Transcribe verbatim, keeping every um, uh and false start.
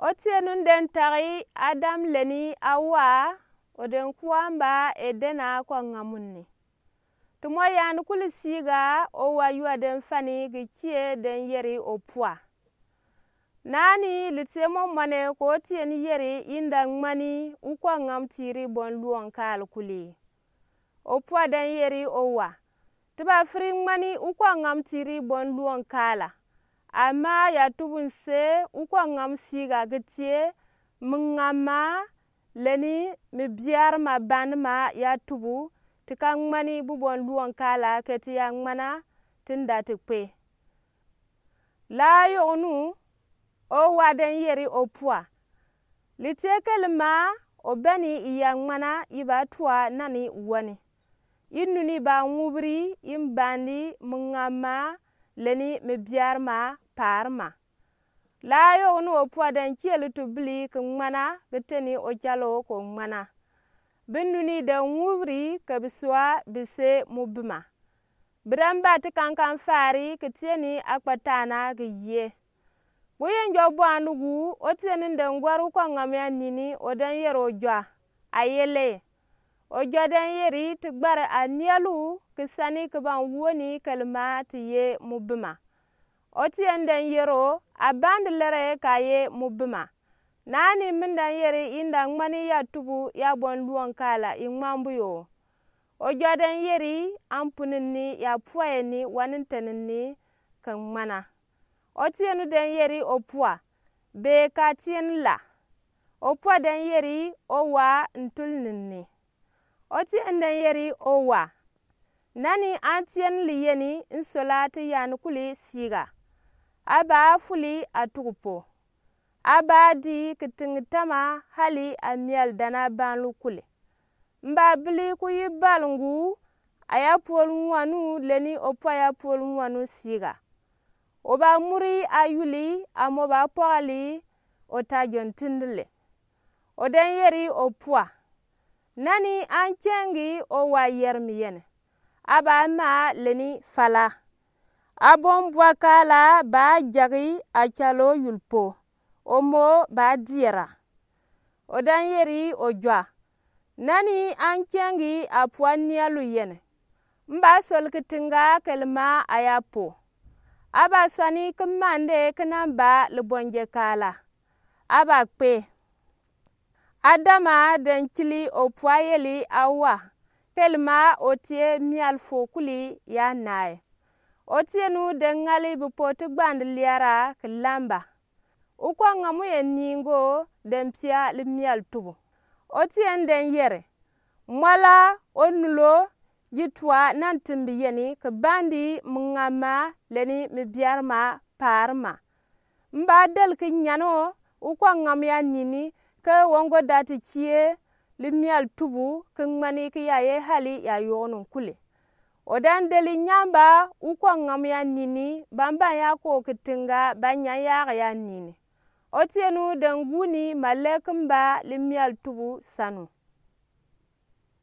Otienu den tagi Adam leni Awa, o den kuamba Edena kɔŋŋa munni. Ti mɔ yan kuli siga, owa yua den fani gi kie den yeri opua. Nani litie mɔmɔne ko tien yeri inda ŋmani u kɔŋŋam tiri bɔn luɔn kaal kuli. Opua den yeri owa. Ti ba firi ŋmani u kɔŋŋam tiri bɔn luɔn kaala. Ama ya tubu nse u kɔŋŋam siga gi tie, mi ŋamma, leni mi biarma banma ya tubu, ti ka ŋmani bu bɔn luɔn kaala keti ya ŋmana, ti nda ti kpe. La yognu, owa den yeri opua. Litie kelima, obɛni iya ŋmana iba tua nani wani. Inuni ba ŋubiri, imbandi, mi ŋamma, leni mi biarma, paarma. La yognu opua den kieli tubili ki ŋmana, ki teni ocalo ko ŋmana. Bi nuni den ŋubiri ke bi sua bi se mu bima. Bi dan ba ti kankan fari ki tieni akpatana ki yie. Gu yen jɔ bua nugu, otienu den gwari u kɔŋŋam ya nini, o den yeri ojɔ. Ayele. Ojɔ den yeri ti gbari anialu ki sani ki ban wuoni kelima ti ye mu bima. Otienu den yeri o, abandi lere ka ye mu bima. Nani mi dan yeri inda ŋmani ya tubu ya bɔn luɔn kaala i ŋmambu yo. Ojɔ den yeri, ampuninni ya puayeni waninteninni ke ŋmana. Otienu den yeri opua, be ka tieni la. Opua den yeri owa ntulininni. Otienu den yeri owa. Nani an tieni liyeni nsola ti yan kuli siga. Aba fuli atugu po. Aba di ki tingi tama hali amial dana banlu kuli. Mba bili ku yi balungu, aya puol ŋuanu leni opua ya puol ŋuanu siga. Oba muri ayuli, amo ba pɔgali, ota jɔn tindile. O den yeri opua. Nani an kengi owa yermi yene. Aba ma leni fala. Abon bua kaala ba jagi acalo yulpo. Omo ba diera. O dan yeri ojɔ. Nani an kengi apua nialu yene. Mba sol ki tinga kelima aya po. Aba sɔni ki mande ki namba libɔnje kaala. Aba kpe. Adama den kili opua yeli Awa. Kelima otie mial fo kuli ya nae. Otienu den ŋali bi po ti gbandi liara ki lamba. U kɔŋŋam ye ningo den pia li mial tubu. Otienu den yeri. Mwala onulo ji tua nan timbi yeni ki bandi mi ŋamma leni mi biarma paarma. Mba del ki nyano u kɔŋŋam ya nini ke wongo dati kie li mial tubu ki ŋmani ki ya ye hali ya yognu kuli. O dan deli nyamba u kɔŋŋam ya nini bamban ya ko ki tinga ba nyan yage ya nini. Otienu den guni ma leki mba li mial tubu sanu.